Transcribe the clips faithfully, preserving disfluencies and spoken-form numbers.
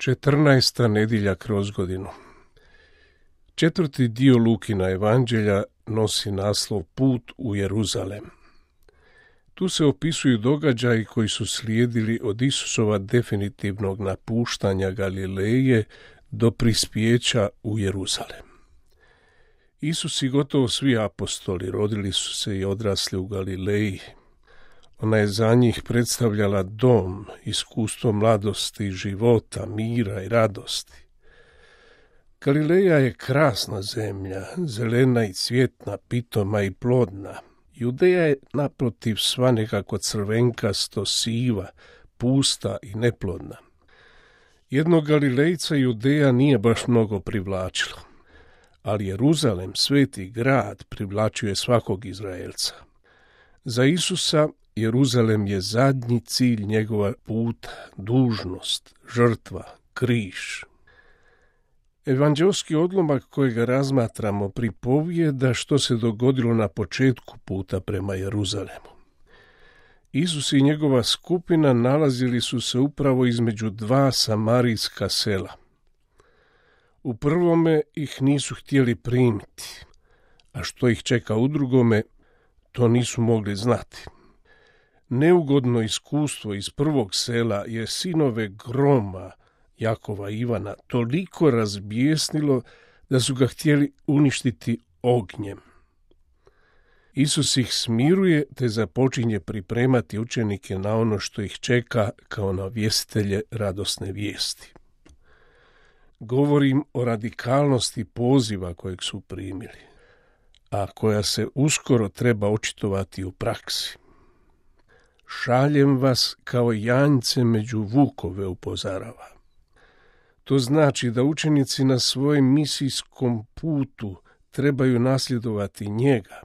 Četrnaesta nedjelja kroz godinu. Četvrti dio Lukina evanđelja nosi naslov Put u Jeruzalem. Tu se opisuju događaji koji su slijedili od Isusova definitivnog napuštanja Galileje do prispjeća u Jeruzalem. Isus i gotovo svi apostoli rodili su se i odrasli u Galileji. Ona je za njih predstavljala dom, iskustvo mladosti, života, mira i radosti. Galileja je krasna zemlja, zelena i cvjetna, pitoma i plodna. Judeja je naprotiv sva nekako crvenkasto, siva, pusta i neplodna. Jednog Galilejca Judeja nije baš mnogo privlačilo, ali Jeruzalem, sveti grad, privlačio je svakog Izraelca. Za Isusa Jeruzalem je zadnji cilj njegova puta, dužnost, žrtva, križ. Evanđelski odlomak kojega razmatramo pripovijeda što se dogodilo na početku puta prema Jeruzalemu. Isus i njegova skupina nalazili su se upravo između dva samarijska sela. U prvome ih nisu htjeli primiti, a što ih čeka u drugome, to nisu mogli znati. Neugodno iskustvo iz prvog sela je sinove groma Jakova i Ivana toliko razbijesnilo da su ga htjeli uništiti ognjem. Isus ih smiruje te započinje pripremati učenike na ono što ih čeka kao navjestitelje radosne vijesti. Govorim o radikalnosti poziva kojeg su primili, a koja se uskoro treba očitovati u praksi. Šaljem vas kao janjce među vukove, upozorava. To znači da učenici na svojem misijskom putu trebaju nasljedovati njega.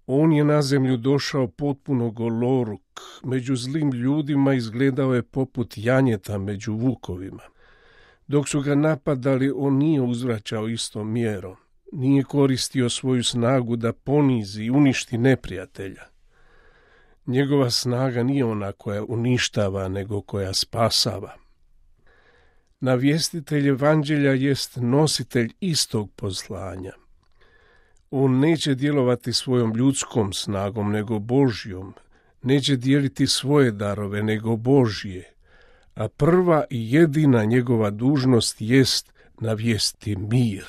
On je na zemlju došao potpuno goloruk, među zlim ljudima izgledao je poput janjeta među vukovima. Dok su ga napadali, on nije uzvraćao istom mjerom, nije koristio svoju snagu da ponizi i uništi neprijatelja. Njegova snaga nije ona koja uništava, nego koja spasava. Navjestitelj evanđelja jest nositelj istog poslanja. On neće djelovati svojom ljudskom snagom, nego Božjom. Neće dijeliti svoje darove, nego Božje. A prva i jedina njegova dužnost jest navijestiti mir.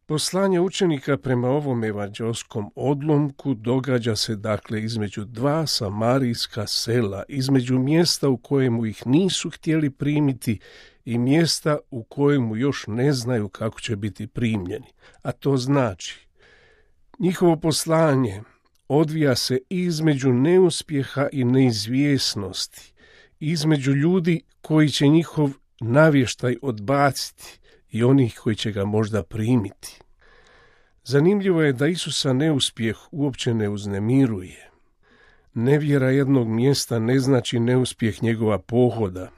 Poslanje učenika prema ovom evanđelskom odlomku događa se dakle između dva samarijska sela, između mjesta u kojemu ih nisu htjeli primiti i mjesta u kojemu još ne znaju kako će biti primljeni. A to znači, njihovo poslanje odvija se između neuspjeha i neizvjesnosti, između ljudi koji će njihov navještaj odbaciti i onih koji će ga možda primiti. Zanimljivo je da Isusa neuspjeh uopće ne uznemiruje. Nevjera jednog mjesta ne znači neuspjeh njegova pohoda.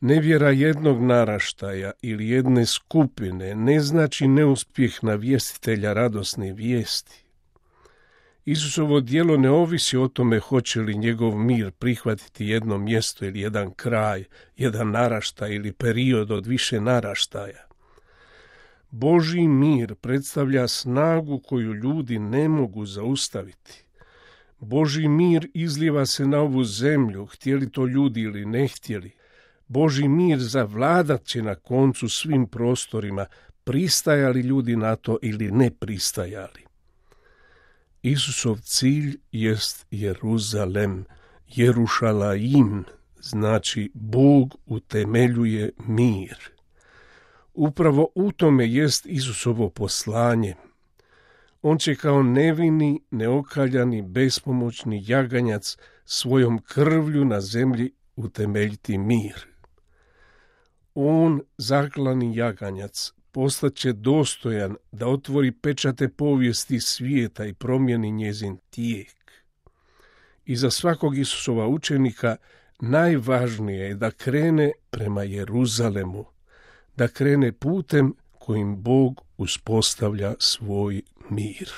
Nevjera jednog naraštaja ili jedne skupine ne znači neuspjeh navjestitelja radosne vijesti. Isusovo djelo ne ovisi o tome hoće li njegov mir prihvatiti jedno mjesto ili jedan kraj, jedan naraštaj ili period od više naraštaja. Božji mir predstavlja snagu koju ljudi ne mogu zaustaviti. Božji mir izlijeva se na ovu zemlju, htjeli to ljudi ili ne htjeli. Božji mir zavladat će na koncu svim prostorima, pristajali ljudi na to ili ne pristajali. Isusov cilj jest Jeruzalem, Jerušalaim, znači Bog utemeljuje mir. Upravo u tome jest Isusovo poslanje. On će kao nevini, neokaljani, bespomoćni jaganjac svojom krvlju na zemlji utemeljiti mir. On, zaklani jaganjac, postaće dostojan da otvori pečate povijesti svijeta i promijeni njezin tijek. I za svakog Isusova učenika najvažnije je da krene prema Jeruzalemu, da krene putem kojim Bog uspostavlja svoj mir.